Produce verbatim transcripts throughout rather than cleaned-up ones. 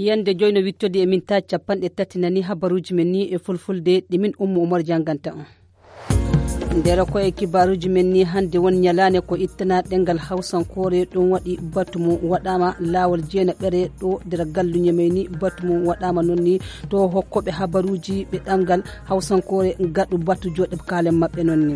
Yande joyno wittode e min ta capanɗe tati nani habaruji men ni e fulfulde ɗi min Ummu Umar janganta on. Nder ko e kibaruji men ni hande won nyalane ko ittana ɗengal hawsankore ɗum waɗi batu mum waɗama lawol jeenaɓere ɗo nder galluñe may ni batu mum waɗama noon ni to hokkoɓe habaruji ɓe ɗemngal hawsankore ngaɗu batu joɗe kaalen maɓɓe noon ni.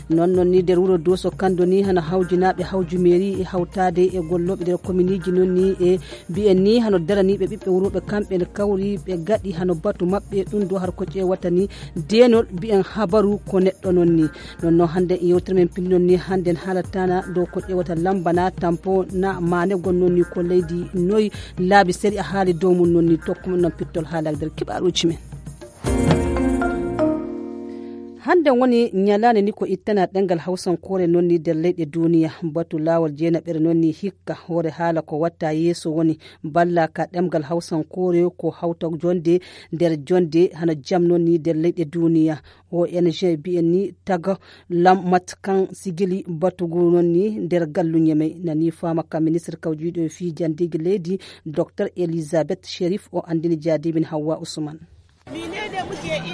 Noon noon ni nder wuro Doso Kando ni hano hawjinaaɓe hawju meeri e hawtaade e gollooɓe nder kominiiji noon ni e mbiyen ni hano daraniiɓe ɓiɓɓe wuro ɓe kamɓe ne kawri ɓe gaɗi hano batu maɓɓe ɗum ɗo har ko ƴeewata ni deenol mbiyen habaru ko neɗɗo noon ni. Noon noon hannde e yewtere men pinndon ni hannde en haalatana dow ko ƴeewata lambana tampo na maane gon noon ni ko leydi noy laabi seri a haali dow mum noon ni tokku mum noon pittol haalaade nder kibaaruuji men. Hannde woni ñalaande ni ko ittana ɗemngal hawsankoore noon ni nder leyɗe duuniya batu laawol jeenaɓere noon ni hikka hoore haala ko watta yeeso woni balla ka ɗemngal hawsankoore ko hawta jonde nder jonde hano jam noon ni nder leyɗe duuniya. O N G mbiyen ni taga lammat kan sigili batugu noon ni nder galluñe may nani faama ka ministre kawjiiɗo e fii janndeegi leydi docteur Elisabeth Sherif o anndini jaadimin Hawwa Usman.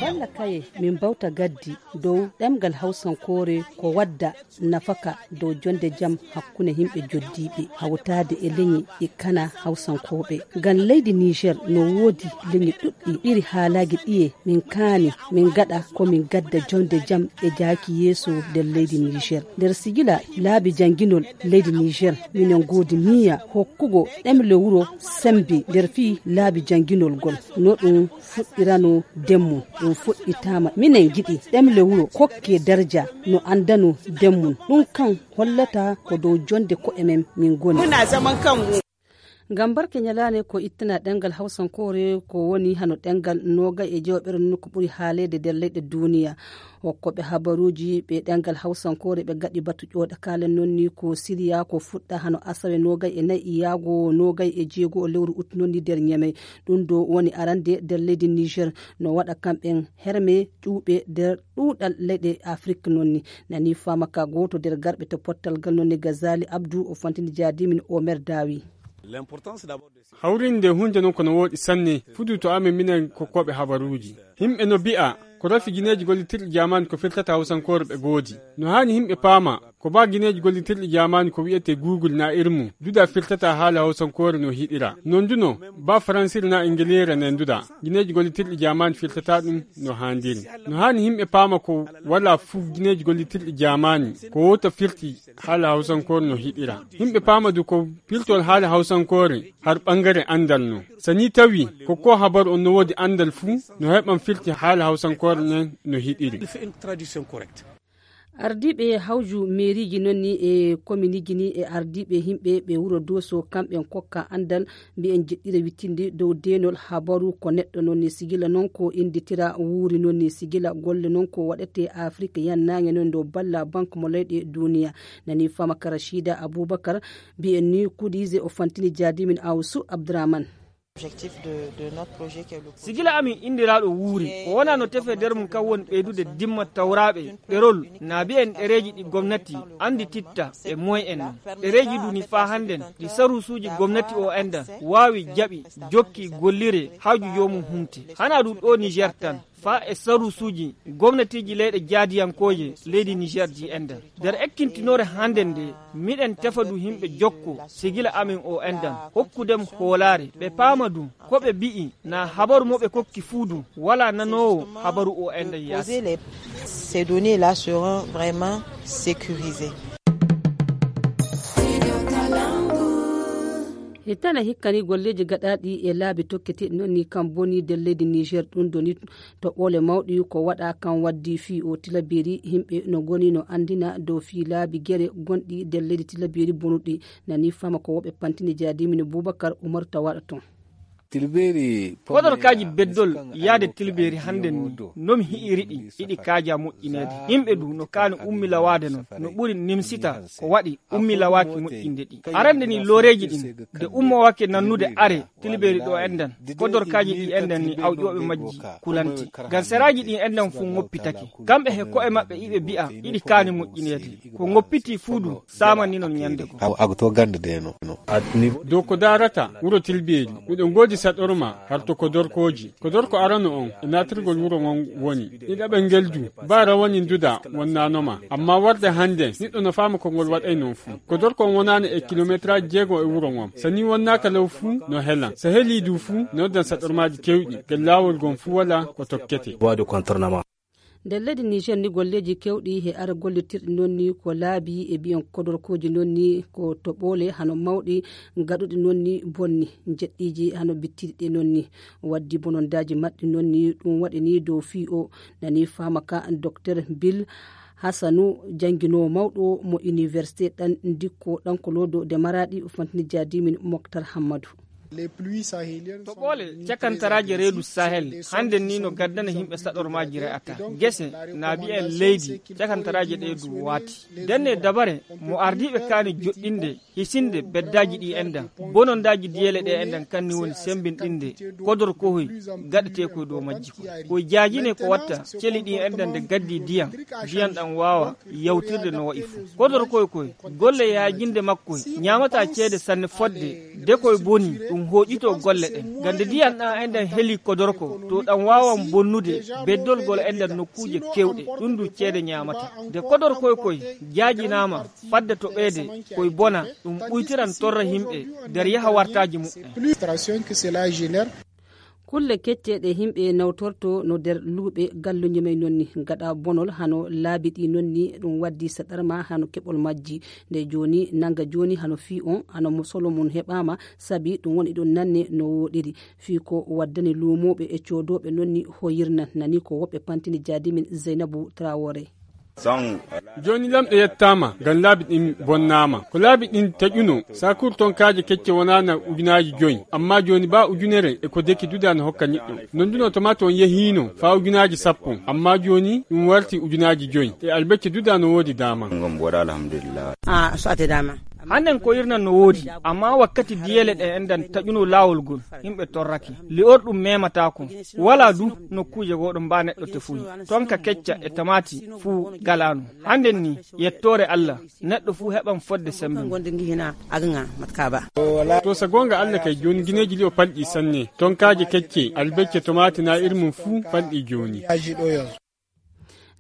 Balla kaye min mbawta gaddi dow ɗemngal hawsankoore ko wadda nafaka dow jonde jam hakkunde yimɓe joddiiɓe hawtaade e leñi e kana hawsankooɓe. Ngam leydi Niger no woodi leñi ɗuɗɗi iri haalaaji ɗiye min kaani min ngaɗa ko min gadda jonde jam e jaaki yeeso nder leydi Niger. Nder sigila laabi jannginol leydi Niger minen ngoodi niyya hokkugo ɗemle wuro sembe nder fii laabi jannginol ngol no ɗum fuɗɗirano ndemmun ɗum fuɗɗitaama minen ngiɗi ɗemle wuro kokke darja no anndano ndemmun ɗum kan hollata ko dow jonde ko'e men min ngoni. Ngam barke ñalaande ko ittana ɗemngal hawsankoore ko woni hano ɗemngal noogay e jeewoɓere no ko ɓuri haaleede nder leyɗe duuniya. Hokkooɓe habaruuji ɓe ɗemngal hawsankoore ɓe gaɗi batu ƴooɗa kaalen noon ni ko siriya ko fuɗɗa hano asawe noogay e nayi yaago noogay e jeego lewru ut noon ni nder ñamey. Ɗum ɗo woni arande nder leydi Niger no waɗa kamɓen herme ƴuuɓe nder ɗuuɗal leyɗe Afrik noon ni. Nani faama ka gooto nder garɓe to pottal ngal noon ni Gazali Abdou o fantini jaadimin Omer Dawi. Hawrinde hunde noon kono wooɗi sanne fudu to amen minen kokkooɓe habaruuji. Yimɓe no mbi'a ko rafi gineeji gollitirɗi jaamaani ko firtata hawsankoore ɓe goodi. No haani yimɓe paama ko ba gineeji gollitirɗi jaamaani ko wi'etee Google na irmu duda firtata haala hawsankoore no hiɗira. Noon duno ba faransire na ingiliire ne duda gineeji gollitirɗi jaamaani firtata ɗum no haandiri. No haani yimɓe paama ko wala fuu gineeji gollitirɗi jaamaani ko wota firti haala hawsankoore no hiɗira. Yimɓe paama du ko pirtol haala hawsankoore har ɓangare anndal no. So ni tawi ko ko habaru on no woodi anndal fuu no heɓan firti haala hawsankoore nden no hiɗiri. Ardiiɓe hawju meeriiji noon ni e kominiiji ni e ardiiɓe yimɓe ɓe wuro Dooso kamɓe en kokka anndal mbiyen jeɗɗira wittinde dow deenol habaru ko neɗɗo noon ni sigila noon ko innditira wuuri noon ni sigila golle noon ko waɗete Afrik yannaange noon dow balla banque mo leyɗe duuniya. Nani faama ka Rachida Abubakar mbiyen ni kuɗiije o fantini jaadimin Awsu Abdurahman. Sigila amin inndiraaɗo wuuri ko wona no tefe nder mum kam woni ɓeydude dimma tawraaɓe ɗerol na mbiyen ɗereeji ɗi gomnati anndititta e moyen en ɗereeji duni faa hannden ɗi sarusuuji gomnati o enda waawi jaɓi jokki gollire haaju joomum humte. Hanaa ɗum ɗo Niger tan faa e sarusuuji gomnatiiji leyɗe jaadiyankooje leydi Niger ji enda. Nder ekkintinoore hannden nde miɗen tefa du yimɓe jokko sigila amin o endan hokkudem hoolaare ɓe paama du ko ɓe mbi'i na habaru mo ɓe kokki fuu du wala nanoowo habaru o endan yaasi. Ces données là seront vraiment sécurisées. Hittana hikkani golleeji gaɗaaɗi e laabi tokketeeɗi noon ni kam boni nder leydi Niger ɗum doni toɓɓoole mawɗi ko waɗa kam waddi fii o tilaberi yimɓe no ngoni no anndina dow fii laabi gere gonɗi nder leydi tilaberi bonuɗi. Nani fama ko woɓɓe pantini jaadimino Bubakar Umar tawaɗo toon. Podorkaaji beddol yaade tilbeeri hannden ni nomi hi'iri ɗi iɗi kaaja moƴƴineede. Yimɓe du no kaani ummilawaade noon no ɓuri nimsita ko waɗi ummilawaaki moƴƴinde ɗi. Arande ni looreeji ɗin de ummowake nannude are tilbeeri ɗo endan podorkaaji ɗi endan ni awƴooɓe majji kulanti. Ngam seraaji ɗin endan fuu ngoppitake. Kamɓe he ko'e maɓɓe iɓe mbi'a iɗi kaani moƴƴineede. Ko ngoppiti fuu du saamani non ñande ko. Ago to gannde de no. Dow ko daarata wuro tilbeeri miɗo ngoodi. Saɗorma harto kodorkooji. Kodorko arano on e naatirgol wuro ngon woni. Ɗiɗaɓel ngel du, ba rawani nduda wonnaanoma. Amma warde hande, neɗɗo no faama ko ngol waɗay non fuu. Kodorko on wonaano e kilometraaji jeego e wuro ngon. So ni wonnaaka law fuu, no helan. So helii du fuu, no noddan saɗormaaji kewɗi. Ngel laawol ngon fuu wala ko tokkete. Nder leydi Niger ni, golleeji kewɗi he ara gollitirɗi noon ni ko laabi e biyan kodorkooji noon ni ko toɓoole hano mawɗi gaɗuɗi noon ni bonni, jeɗɗiiji hano bittiɗi ɗe noon ni. Waddi bonondaaji maɓɓe noon ni, ɗum waɗi ni dow fii o nani faama ka Docteur Bill Hassanu, jannginoowo mawɗo mo université ɗan dikko ɗan ko loodo de Maraɗi, o fantini jaadimin Moktar Hammadu. To ɓoole cakantaraaje reedu Sahel, hannden ni no gaddana yimɓe saɗormaaji re'ata. Gese, na bi'en leydi, cakantaraaje ɗee du waati. Denne dabare, mo ardiiɓe kaani joɗɗinde, hisinde beddaaji ɗi enɗan. Bonondaaji diyeele ɗe enɗan kanni woni sembinɗinde, kodor kohoy, gaɗetee koy dow majji koy. Koy jaajine ko watta, celi ɗi enɗan nde gaddi diyan, diyan ɗan waawa yawtirde no wa'i fuu. Kodor koy koy, golle yaajinde makkoy, ñaamata ceede sanne fodde, de koy boni, ɗum hooƴito golle ɗen. Gande diyan ɗan enɗan heli kodorko, to ɗan waawan bonnude, beddolgol enɗan nokkuuje kewɗe, ɗum du ceede ñaamata. De kodor koy koy, jaajinaama, fadde to ɓeede, koy bona, ɗum ɓuytiran torra yimɓe, nder yaha wartaaji muɓɓen. Kulle kecce ɗe yimɓe nawtorto no nder luuɓe galluuje may noon ni, gaɗa bonol hano laabi ɗi noon ni, ɗum waddi saɗarma hano keɓol majji. Nde jooni, nanga jooni hano fii on, hano mo solo mum heɓaama, sabi ɗum woni ɗum nanne no wooɗiri. Fii ko waddani luumooɓe e coodooɓe noon ni hoyirnan, nani ko woɓɓe pantini jaadimin Zeynabu Traoré. Jooni lamɗo yettaama ngam laabi ɗin bonnaama. Ko laabi ɗin taƴuno, saakuur tonkaaje kecce wonaana ujunaaji joy, amma jooni baa ujunere e ko deki duda no hokka niɗɗo. Non duno tomato on yehiino faa ujunaaji sappo, amma jooni ɗum warti ujunaaji joy. E albecce duda no woodi daama. Hannden ko irnan no woodi, amma wakkati diyeele ɗe enɗan taƴuno laawol ngol, yimɓe torrake. Li'orɗum memataako. Walaa du nokkuuje goo ɗo mbaa neɗɗo tefuyi. Tonka kecca e tamaati fuu galaano. Hannden ni, yettoore Alla, neɗɗo fuu heɓan fodde sembe mum. To sa goonga Alla kay, jooni gineeji li'o palɗi sanne. Tonkaaje kecce, albecce, tomaati naa ir mum fuu palɗi jooni.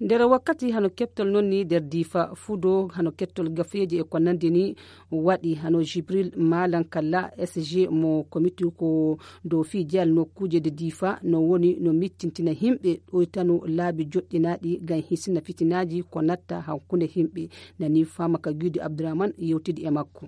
Nder wakkati hano keɓtol noon ni nder Diifa, fudo hano keɓtol gafeeji e ko nandi ni waɗi hano Jibril Malan Kalla, S G mo komiti ko dow fii jeyal nokkuuje de Diifa, no woni no miccintina yimɓe ɗoytano laabi joɗɗinaaɗi ngam hisina fitinaaji ko natta hakkunde yimɓe. Nani faama ka Giidi Abdurrahman yewtidi e makko.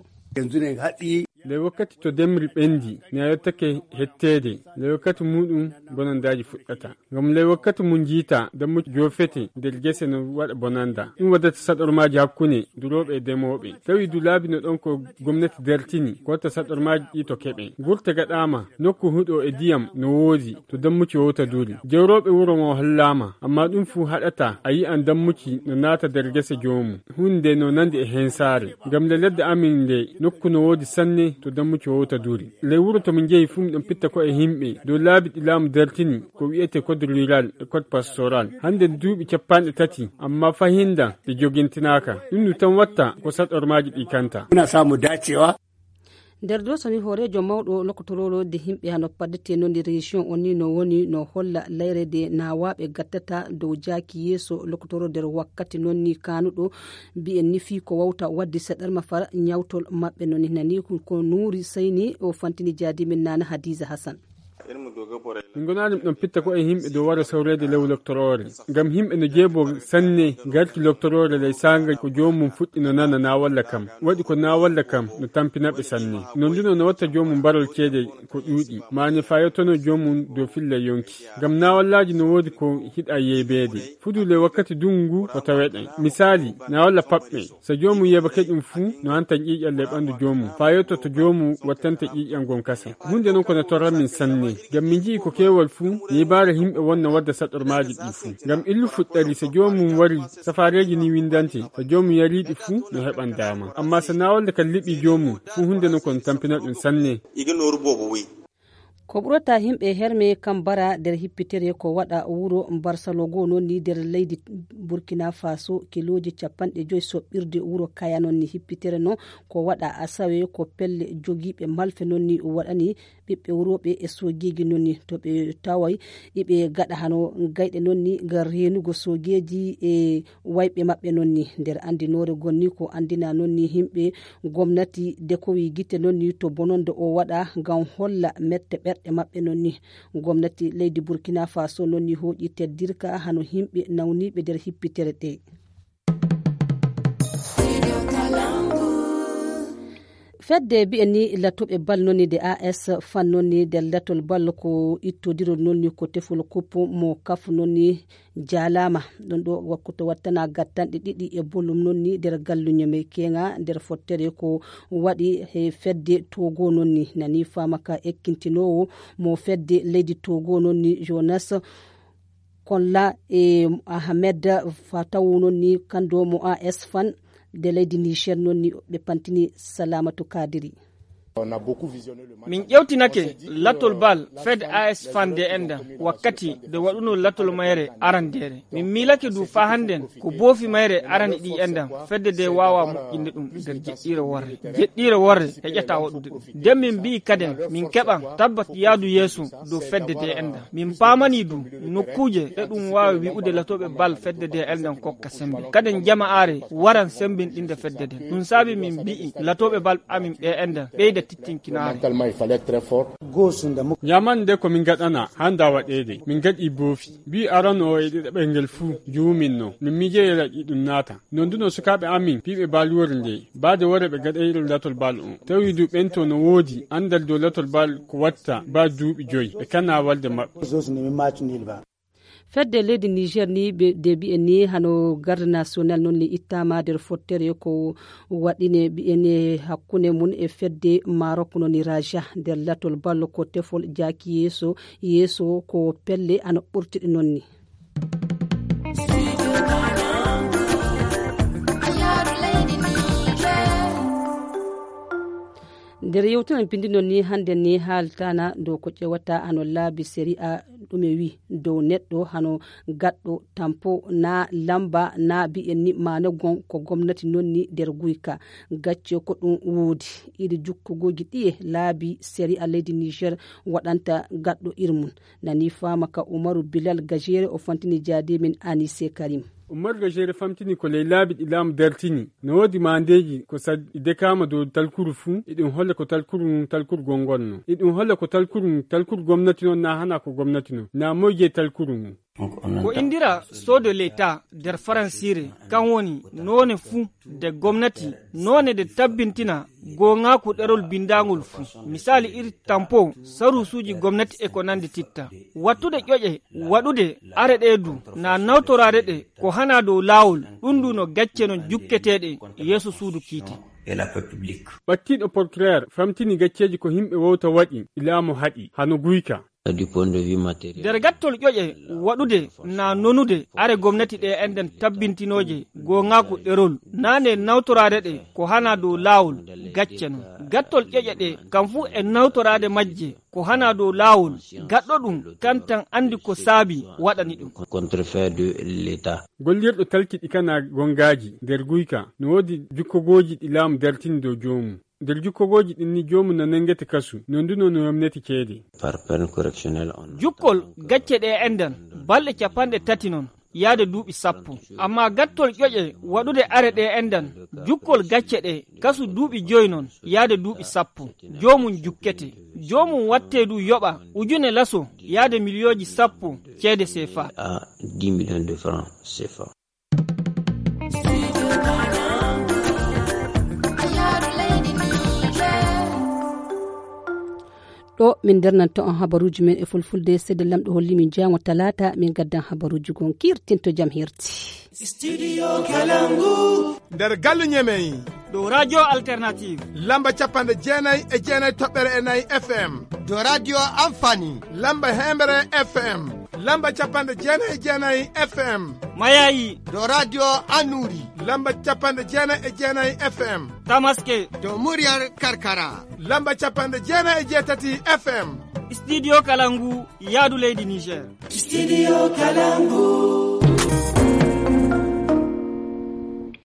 Ley wakkati to demri ɓendi, mi a yottake hetteede, ley wakkati muuɗum bonandaaji fuɗɗata. Ngam ley wakkati mum njiita dammuɗi joofete nder gese no waɗa bonanda. Ɗum waddata saɗormaaji hakkunde durooɓe e demooɓe. Tawi du laabi no ɗon ko gomnati dartini, ko watta saɗormaaji ɗi to keɓe. Gurte gaɗaama, nokku huɗo e diyam no woodi, to dammuɗi wowta duri. Jawrooɓe wuro ngo hollaama, amma ɗum fuu haɗata a yi'an dammuɗi no naata nder gese joomum. Huunde no nandi e hensaare. Ngam le ladde amin nde, nokku no woodi sanne to dammuɗi wowta duri. Ley wuro to min njehi fuu, miɗon pitta ko e yimɓe dow laabi ɗi laamu dartini, ko wi'ete code rural e code pastoral. Hannde duuɓi cappanɗe tati, amma fahinda ɗi jogintinaaka. Ɗum ɗum tan watta ko saɗormaaji ɗi kanta. Muna samu dacewa. Nder dow soni hooreejo mawɗo lokotoroore de yimɓe hano paddete noon e région on ni no woni no holla layre de nawaaɓe gattata dow jaaki yeeso lokotoro nder wakkati noon ni kaanuɗo mbiyen ni fii ko wawta waddi saɗarma fara ñawtol maɓɓe noon ni nani ko Nuuri Sayni o fantini jaadimin Nana Hadiza Hassan. Min gonaani miɗon pitta ko e yimɓe dow wara sawreede lew loktoroore. Ngam yimɓe no jeebo sanne garki loktoroore ley saanga ko joomum fuɗɗi no nana na walla kam. Waɗi ko na walla kam no tampina ɓe sanne. Non duno no watta joomum mbarol ceede ko ɗuuɗi. Maani fayottono joomum dow filla yonki. Ngam na wallaaji no woodi ko hiɗa yeebeede. Fudu ley wakkati dungu ko taweɗen. Misaali, na walla paɓɓe. So joomum yeebake ɗum fuu, no hanta ƴiiƴan ley ɓanndu joomum, faa yotto to joomum wattante ƴiiƴan ngon kasen. Huunde non ko no torran min sanne, ngam min nji'i ko keewal fuu, yeebaare yimɓe won no wadda saɗormaaji ɗii fuu. Ngam illu fuɗɗari, so joomum wari, safaareeji ni winndante, so joomum yarii ɗi fuu, no heɓan daama. Ammaa so naawalde kan liɓii joomum, fuu huunde non ko no tampina ɗum sanne. Ko ɓurata yimɓe herme kam bara nder hippitere ko waɗa wuro Barcelona goo noon ni nder leydi Burkina Faso, kilooji capanɗe joy soɓɓirde wuro Kaya noon ni hippitere noon ko waɗa Asawe, ko pelle jogiiɓe malfe noon ni waɗani ɓiɓɓe wurooɓe e soogeeji noon ni to ɓe taway iɓe gaɗa hano gayɗe noon ni ngar reenugo soogeeji e wayɓe maɓɓe noon ni. Nder anndinoore gonni ko anndina noon ni yimɓe gomnati dekowi gite noon ni to bononde o waɗa ngam holla mette ɓerɗe maɓɓe noon ni. Gomnati leydi Burkina Faso noon ni hooƴi teddirka hano yimɓe nawniiɓe nder hippitere ɗe. Fedde bi'e ni latoɓe bal noon ni de A S fan noon ni nder latol bal ko ittodirol noon ni ko tefol kuppu mo kafu noon ni jaalaama. Ɗum ɗo wakkuto wattana gattanɗe ɗiɗi e bolum noon ni nder galluño me keŋa nder fottere ko waɗi he fedde Togo noon ni. Nani faama ka ekkintinoowo mo fedde leydi Togo noon ni Jonas Kolla e Ahmed Fatawu noon ni kando mo A S fan de leydi Niger noon ni ɓe pantini Salamatu Kadiri. Min ƴewtinake latol bal fed A S fan de endan wakkati de waɗuno latol mayre arandere. Min miilake du fa hannden ko boofi mayre arani ɗi endan fedde de waawa moƴƴinde ɗum nder jeɗɗiire worre. Jeɗɗiire worre heƴata waɗude ɗum. Nden min mbi'i kaden min keɓan tabbat yaadu yeeso dow fedde de endan. Min paamani du nokkuuje ɗe ɗum waawi wi'ude latooɓe bal fedde de endan kokka sembe. Kaden jama'aare waran sembinɗinde fedde den. Ɗum saabi min mbi'i latooɓe bal amin ɓe endan ɓeyda tittinkinaare. Ñaamande ko min ngaɗana hannda waɗeede. Min ngaɗi boofi. Mbi'i arano o e ɗiɗaɓel ngel fuu juumin no. Min miijeyi raƴi ɗum naata. Non du no sukaaɓe amin piiɓe bal wori nde. Baade wore ɓe gaɗayri latol bal on. Tawi du ɓen to no woodi anndal dow latol bal ko watta ba duuɓi joyi. Ɓe kana walde maɓɓe. Fedde leydi Niger ni ɓe- de mbi'en ni hano garde national noon ni ittama nder fottere ko waɗine mbi'en hakkunde mum e fedde Maroc noon ni Raja nder latol ballo ko tefol jaaki yeeso yeeso ko pelle ana ɓurtiɗe noon ni. Nder yewtere pindi noon ni hannde ni haaltana dow ko ƴewata hano laabi sariya ɗume wi dow neɗɗo hano gaɗɗo tampo na lamba na mbi'en ni maana gon ko gomnati noon ni nder guyka gacce ko ɗum woodi. Iri jukkogoji ɗiye laabi sariya leydi Niger waɗanta gaɗɗo irmum. Nani faama ka Umaru Bilal Gajere o fantini jaade men Anise Karim. Umaru Gajere famtini ko ley laabi ɗi laamu dartini. No woodi maandeeji ko sad- ɗi dekaama dow talkuru fuu, iɗum holla ko talkuru ngun talkuru gongonno. Iɗum holla ko talkuru ngun talkuru gomnati non naa hana ko gomnati non. Naa moyje talkuru ngun. Ko indira soo de l'État nder faransiire, kan woni noone fuu de gomnati, noone de tabbintina goongaaku ɗerol bindaangol fuu. Misaali iri tampo, saruusuuji gomnati e ko nandi titta. Wattude ƴoƴe, waɗude are ɗee du, naa nawtoraade ɗe ko hana dow laawol, ɗum du no gacce non jukketeeɗe yeeso suudu kiite. Ɓattiiɗo portureer famtini gacceeji ko yimɓe wowta waɗi, ilaamu haɗi, hano guyka. Nder gattol ƴoƴe waɗude na nonude are gomnati ɗe enɗen tabbintinooje goongaaku ɗerol, naa nde nawtoraade ɗe ko hana dow laawol gacce non. Gattol ƴoƴe ɗe kam fuu e nawtoraade majje ko hana dow laawol gaɗɗo ɗum kan tan anndi ko saabi waɗani ɗum. Gollirɗo talki ɗi kana gongaaji nder guyka no woodi jukkogooji ɗi laamu dartini dow joomum. Nder jukkogooji ɗin ni joomum no nangete kasu, non du no no yomnete ceede. Jukkol gacce ɗe enɗan balɗe capanɗe tati non yaade duuɓi sappo. Amma gattol ƴoƴe waɗude are ɗe enɗan jukkol gacce ɗe kasu duuɓi joyi non yaade duuɓi sappo. Joomum jukkete. Joomum watte du yoɓa ujune laso yaade miliyooji sappo ceede sefa. Ɗo min ndernanto on habaruuji men e fulfulde, seede lamɗo holli min jaango talaata min gaddan habaruuji gon kiirtinto jam hirti. Studio Kalangu. Nder gallu ñemey. Ɗo Radio Alternative. Lamba capanɗe jeenay e jeenay toɓɓere e nayi F M. Ɗo Radio Amfani. Lamba hembre F M. Lamba capanɗe jeenay e jeenay F M. Mayayi. Ɗo Radio Anuri. Lamba capanɗe jeenay e jeenay F M. Tamaske. Ɗo Muryar Karkara. Lamba capanɗe jeenay e jeetati F M. Studio Kalangu, yaadu leydi Niger. Studio Kalangu.